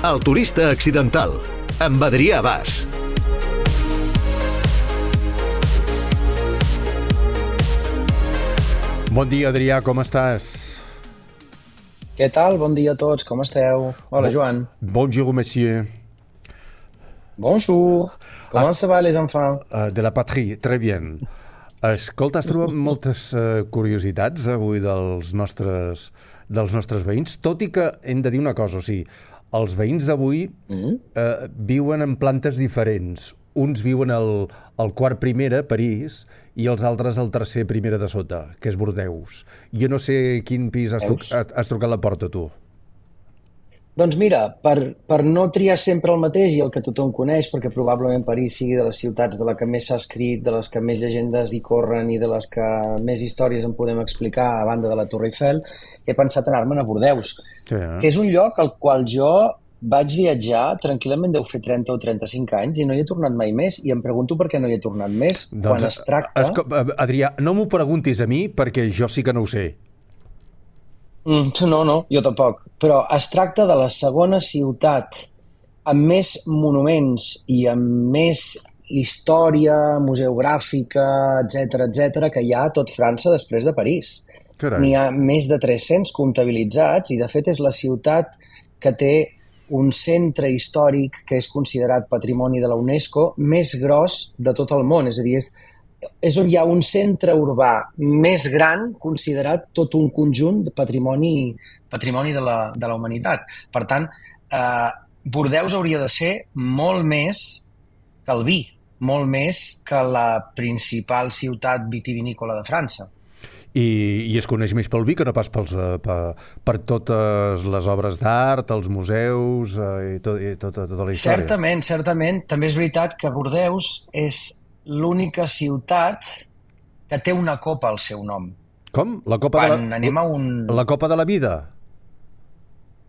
El turista accidental, amb Adrià Bas. Bon dia, Adrià, com estàs? Què tal? Bon dia a tots, com esteu? Hola, Joan. Bonjour, monsieur. Bonjour. Comment ça va, les enfants? De la patrie, très bien. Escolta, has trobat moltes curiositats avui dels nostres veïns, tot i que hem de dir una cosa, o sigui, els veïns d'avui viuen en plantes diferents. Uns viuen al quart primera, París, i els altres al tercer primera de sota, que és Bordeus. Jo no sé quin pis has trucat a la porta, tu. Doncs mira, per no triar sempre el mateix i el que tothom coneix, perquè probablement París sigui de les ciutats de la que més s'ha escrit, de les que més llegendes hi corren i de les que més històries en podem explicar a banda de la Torre Eiffel, he pensat anar-me'n a Bordeus, que és un lloc al qual jo vaig viatjar, tranquil·lament deu fer 30 o 35 anys, i no hi he tornat mai més, i em pregunto per què no hi he tornat més, quan es tracta... Adrià, no m'ho preguntis a mi, perquè jo sí que no ho sé. No, jo tampoc. Però es tracta de la segona ciutat amb més monuments i amb més història museogràfica, etc que hi ha a tot França després de París. N'hi ha més de 300 comptabilitzats i, de fet, és la ciutat que té un centre històric que és considerat patrimoni de la UNESCO més gros de tot el món. És a dir, és on hi ha un centre urbà més gran considerat tot un conjunt de patrimoni de la humanitat. Per tant, Bordeus hauria de ser molt més que el vi, molt més que la principal ciutat vitivinícola de França. I es coneix més pel vi que no pas per totes les obres d'art, els museus i tota la història. Certament. També és veritat que Bordeus és l'única ciutat que té una copa al seu nom. Com? La copa de la vida?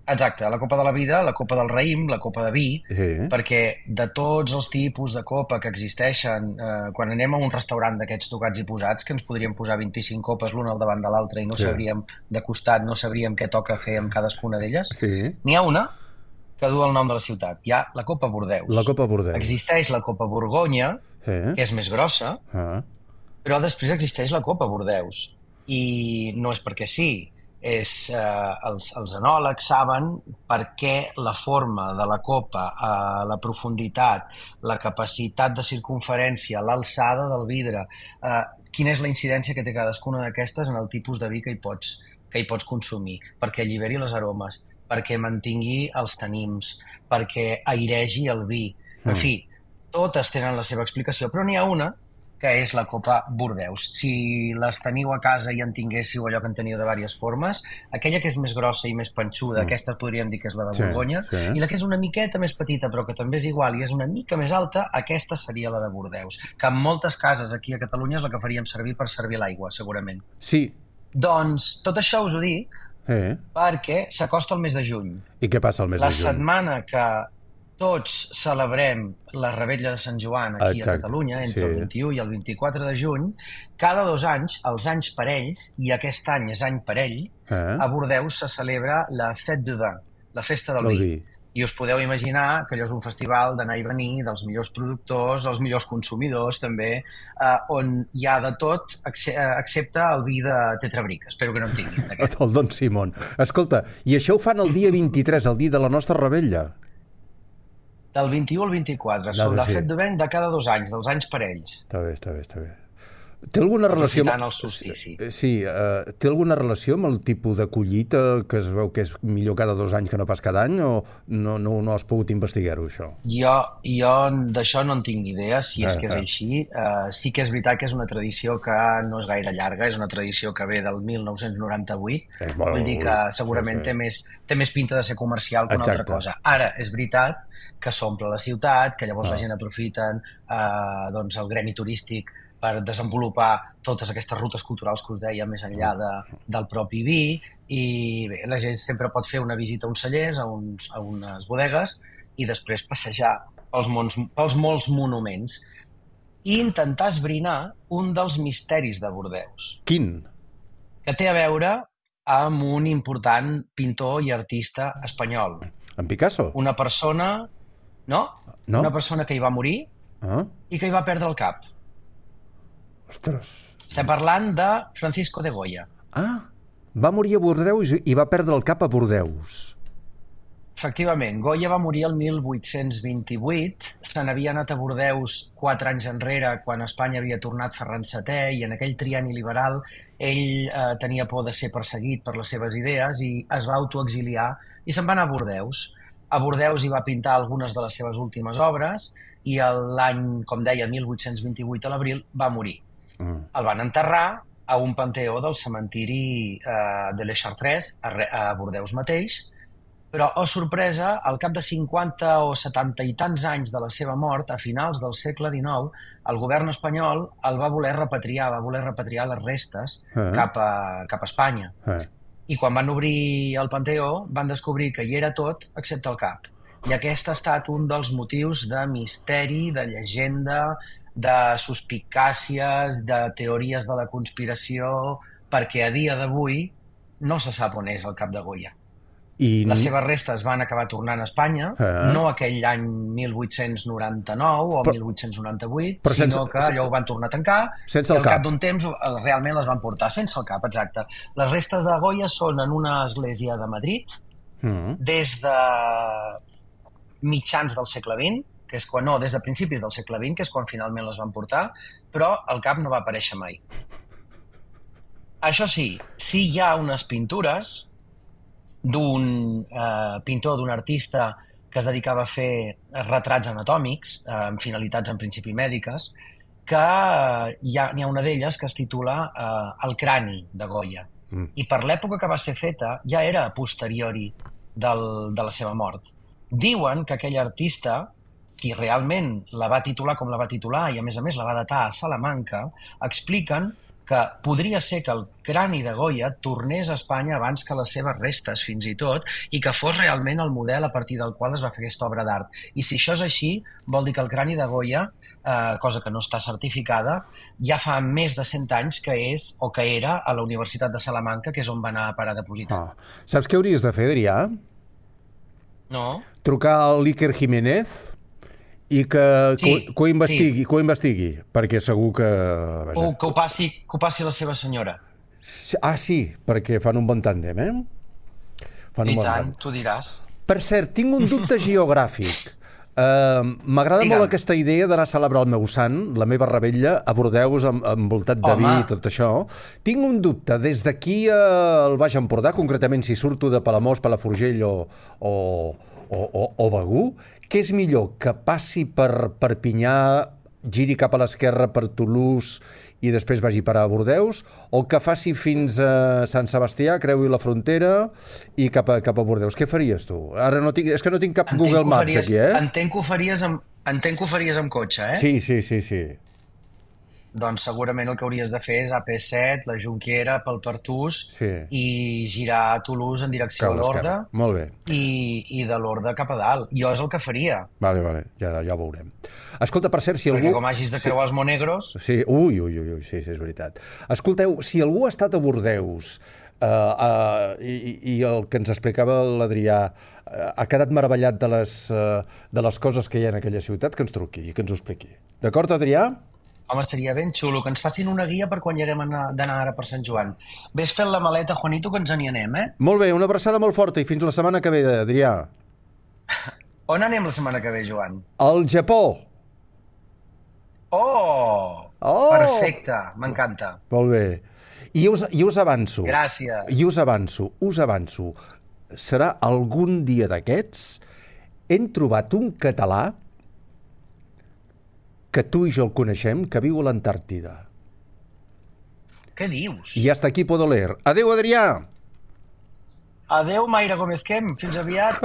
Exacte, la copa de la vida, la copa del raïm, la copa de vi, perquè de tots els tipus de copa que existeixen, quan anem a un restaurant d'aquests tocats i posats, que ens podríem posar 25 copes l'una al davant de l'altra i no sabríem de costat, no sabríem què toca fer amb cadascuna d'elles, n'hi ha una que du el nom de la ciutat. Hi ha la Copa Bordeus. La Copa Bordeus. Existeix la Copa Borgonya, que és més grossa, però després existeix la Copa Bordeus. I no és perquè sí, els enòlegs saben per què la forma de la copa, la profunditat, la capacitat de circumferència, l'alçada del vidre, quina és la incidència que té cadascuna d'aquestes en el tipus de vi que hi pots consumir, perquè alliberi les aromes, perquè mantingui els tanims, perquè airegi el vi. En fi, totes tenen la seva explicació, però n'hi ha una que és la Copa Bordeus. Si les teniu a casa i en tinguéssiu allò que en teniu de diverses formes, aquella que és més grossa i més panxuda, aquesta podríem dir que és la de Borgonya, i la que és una miqueta més petita, però que també és igual i és una mica més alta, aquesta seria la de Bordeus, que en moltes cases aquí a Catalunya és la que faríem servir per servir l'aigua, segurament. Sí. Doncs tot això us ho dic perquè s'acosta el mes de juny. I què passa el mes de juny? La setmana que tots celebrem la Revetlla de Sant Joan aquí a Catalunya, entre el 21 i el 24 de juny, cada 2 anys, els anys parells, i aquest any és any parell, a Bordeus se celebra la Fête du Vin, la festa del vi. I us podeu imaginar que allò és un festival d'anar i venir dels millors productors, els millors consumidors també, on hi ha de tot, excepte el vi de Tetrabric. Espero que no en tinguin. El Don Simón. Escolta, i això ho fan el dia 23, el dia de la nostra Revetlla? Del 21 al 24, la Fête du Vin de cada 2 anys, dels anys parells. Està bé. Té alguna relació... Aprofitant el solstici. Sí, té alguna relació amb el tipus de collita que es veu que és millor cada 2 anys que no pas cada any, o no has pogut investigar-ho, això? Jo d'això no en tinc ni idea, si és que és així. Sí que és veritat que és una tradició que no és gaire llarga, és una tradició que ve del 1998, vull dir que segurament té més pinta de ser comercial que una altra cosa. Ara, és veritat que s'omple la ciutat, que llavors la gent aprofita el gremi turístic per desenvolupar totes aquestes rutes culturals que us deia més enllà del propi vi, i bé, la gent sempre pot fer una visita a uns cellers, a unes bodegues, i després passejar pels molts monuments i intentar esbrinar un dels misteris de Bordeus. Quin? Que té a veure amb un important pintor i artista espanyol. En Picasso? Una persona... No? Una persona que hi va morir i que hi va perdre el cap. Ostres. Estem parlant de Francisco de Goya. Va morir a Bordeus i va perdre el cap a Bordeus. Efectivament, Goya va morir el 1828, se n'havia anat a Bordeus 4 anys enrere quan Espanya havia tornat Ferran VII i en aquell trienni liberal ell tenia por de ser perseguit per les seves idees i es va autoexiliar i se'n va anar a Bordeus. A Bordeus hi va pintar algunes de les seves últimes obres i l'any, com deia, 1828 a l'abril, va morir. El van enterrar a un panteó del cementiri de Les Chartres, a Bordeus mateix, però, oh sorpresa, al cap de 50 o 70 i tants anys de la seva mort, a finals del segle XIX, el govern espanyol el va voler repatriar, les restes cap a Espanya. I quan van obrir el panteó van descobrir que hi era tot excepte el cap. I aquest ha estat un dels motius de misteri, de llegenda, de suspicàcies, de teories de la conspiració, perquè a dia d'avui no se sap on és el cap de Goya. Les seves restes van acabar tornant a Espanya, no aquell any 1899 o 1898, sinó que allò ho van tornar a tancar i al cap d'un temps realment les van portar sense el cap, exacte. Les restes de Goya són en una església de Madrid des de mitjans del segle XX, que és quan, no, des de principis del segle XX, que és quan finalment les van portar, però el cap no va aparèixer mai. Això sí, sí hi ha unes pintures d'un pintor, d'un artista que es dedicava a fer retrats anatòmics amb finalitats en principi mèdiques, que n'hi ha una d'elles que es titula El crani de Goya. I per l'època que va ser feta ja era a posteriori de la seva mort. Diuen que aquell artista, qui realment la va titular com la va titular i a més la va datar a Salamanca, expliquen que podria ser que el crani de Goya tornés a Espanya abans que les seves restes, fins i tot, i que fos realment el model a partir del qual es va fer aquesta obra d'art. I si això és així, vol dir que el crani de Goya, cosa que no està certificada, ja fa més de 100 anys que és, o que era, a la Universitat de Salamanca, que és on va anar a parar a depositar. Saps què hauries de fer, Adrià? No. Trucar al l'Iker Jiménez i que ho investigui, perquè segur que... Que ho passi la seva senyora. Sí, perquè fan un bon tàndem, I tant, tu diràs. Per cert, tinc un dubte geogràfic. M'agrada molt aquesta idea d'anar a celebrar el meu sant, la meva revetlla, a Bordeus, envoltat de vi i tot això. Tinc un dubte, des d'aquí al Baix Empordà, concretament si surto de Palamós, Palafrugell o Begur, què és millor, que passi per Perpinyà, giri cap a l'esquerra per Toulouse i després vagi parar a Bordeus, o que faci fins a Sant Sebastià, creui la frontera i cap a Bordeus? Què faries tu? Ara és que no tinc cap Google Maps aquí, Entenc que ho faries amb cotxe, Sí. Doncs segurament el que hauries de fer és AP7, la Jonquera, pel Pertús i girar a Toulouse en direcció a l'Horda. Molt bé. I de l'Horda cap a dalt. Jo és el que faria. Vale, ja ho veurem. Escolta, per cert, si algú... Perquè com hagis de creuar els Monegros... Sí, sí, és veritat. Escolteu, si algú ha estat a Bordeus i el que ens explicava l'Adrià ha quedat meravellat de les coses que hi ha en aquella ciutat, que ens truqui i que ens ho expliqui. D'acord, Adrià? Home, seria ben xulo que ens facin una guia per quan hi haguem d'anar ara per Sant Joan. Ves fent la maleta, Juanito, que ens n'hi anem, Molt bé, una abraçada molt forta i fins la setmana que ve, Adrià. On anem la setmana que ve, Joan? Al Japó. Oh! Perfecte, m'encanta. Molt bé. I us avanço. Gràcies. I us avanço. Serà algun dia d'aquests. Hem trobat un català que tu i jo el coneixem, que viu a l'Antàrtida. Què dius? I hasta aquí puedo leer. Adéu, Adrià! Adéu, Mayra Gómez Kem. Fins aviat.